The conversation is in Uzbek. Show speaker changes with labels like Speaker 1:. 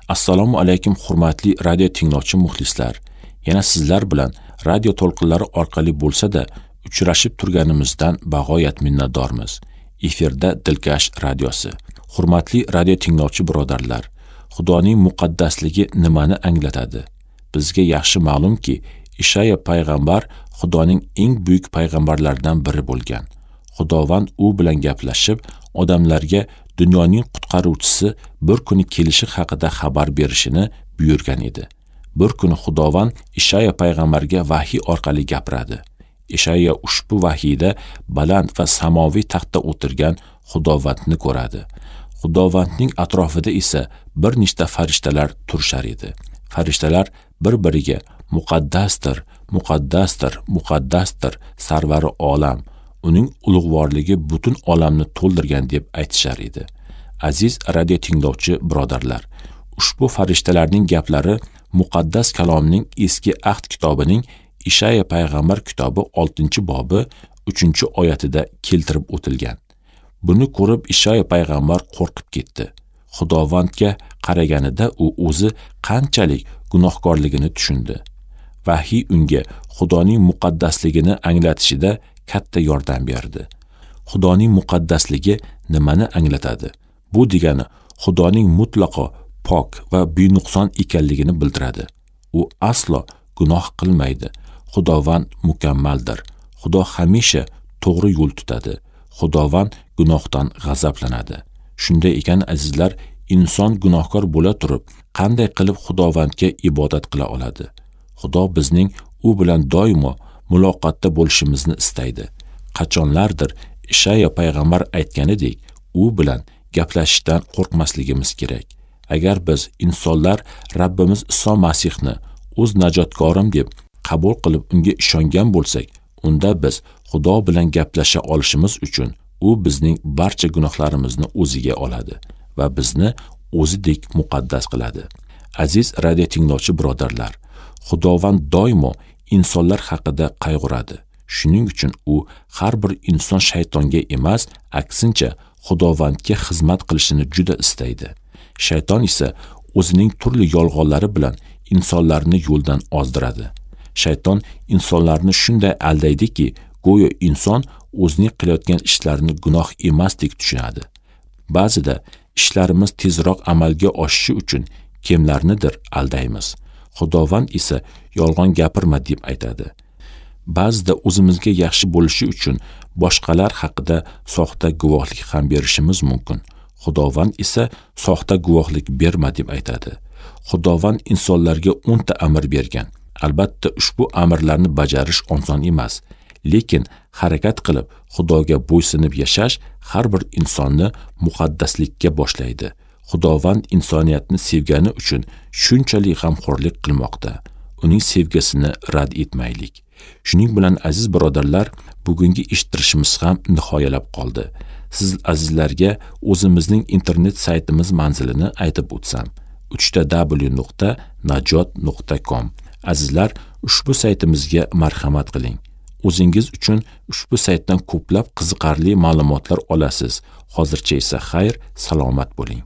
Speaker 1: Assalomu alaykum hurmatli radio tinglovchi muxlislar. Yana sizlar bilan radio to'lqinlari orqali bo'lsa-da uchrashib turganimizdan bag'oyat minnatdormiz. Efirda Dilkash radiosi. Hurmatli radio tinglovchi birodarlar, Xudoning muqaddasligi nimani anglatadi? Bizga yaxshi ma'lumki, Ishaya payg'ambar Xudoning eng buyuk payg'ambarlaridan biri bo'lgan. Xudovand u bilan gaplashib, odamlarga dunyoning qutqaruvchisi bir kuni kelishi haqida xabar berishini buyurgan edi. Bir kuni Xudovand Ishaya payg'ambarga vahiy orqali gapiradi. Ishaya ushbu vahiyda baland va samoviy taxtda o'tirgan Xudovandni ko'radi. Xudovandning atrofida esa bir nechta farishtalar turishar edi. Farishtalar bir-biriga muqaddasdir, muqaddasdir, muqaddasdir sarvari olam, uning ulug'vorligi butun olamni to'ldirgan deb aytishar edi. Aziz radio tinglovchi birodarlar, ushbu farishtalarning gaplari muqaddas kalomning Eski Ahd kitobining Ishaya payg'ambar kitobi 6-bobi 3-oyatida keltirib o'tilgan. Buni ko'rib Ishaya payg'ambar qo'rqib ketdi. Xudovandga qaraganida u o'zi qanchalik gunohkorligini tushundi. Vahiy unga Xudoning muqaddasligini anglatishida katta yordam berdi. Xudoning muqaddasligi nimani anglatadi? Bu degani Xudoning mutlaqo pok va benuqson ekanligini bildiradi. U aslo gunoh qilmaydi. Xudovand mukammaldir. Xudo hamisha to'g'ri yo'l tutadi. Xudovand gunohdan g'azablanadi. Shunday ekan azizlar, inson gunohkor bo'la turib, qanday qilib Xudovandga ibodat qila oladi? Xudo bizning u bilan doimo muloqotda bo'lishimizni istaydi. Qachonlardir Ishaya payg'ambar aytganidek, u bilan gaplashishdan qo'rqmasligimiz kerak. Agar biz insonlar Rabbimiz Iso Masihni o'z najotkorim deb qabul qilib unga ishongan bo'lsak, unda biz Xudo bilan gaplasha olishimiz uchun u bizning barcha gunohlarimizni o'ziga oladi va bizni o'zidek muqaddas qiladi. Aziz radio tinglovchi birodarlar, Xudovand doimo insonlar haqida qayg'uradi. Shuning uchun u har bir inson shaytonga emas, aksincha Xudovandga xizmat qilishini juda istaydi. Shayton esa o'zining turli yolg'onlari bilan insonlarni yo'ldan ozdiradi. Shayton insonlarni shunday aldaydiki, go'yo inson o'zining qilayotgan ishlarini gunoh emasdek tushunadi. Ba'zida ishlarimiz tezroq amalga oshishi uchun kimlarnidir aldaymiz. Xudovand esa yolg'on gapirma deb aytadi. Ba'zida o'zimizga yaxshi bo'lishi uchun boshqalar haqida soxta guvohlik ham berishimiz mumkin. Xudovand esa soxta guvohlik berma deb aytadi. Xudovand insonlarga 10 ta amr bergan. Albatta ushbu amrlarni bajarish oson emas, lekin harakat qilib Xudoga bo'ysunib yashash har bir insonni muqaddaslikka boshlaydi. Xudovand insoniyatni sevgani uchun shunchalik g'amxo'rlik qilmoqda. Uning sevgisini rad etmaylik. Shuning bilan aziz birodarlar, bugungi eshittirishimiz ham nihoyalab qoldi. Siz azizlarga o'zimizning internet saytimiz manzilini aytib o'tsam: www.najot.com. Azizlar, ushbu saytimizga marhamat qiling. O'zingiz uchun ushbu saytdan ko'plab qiziqarli ma'lumotlar olasiz. Hozircha esa xayr, salomat bo'ling.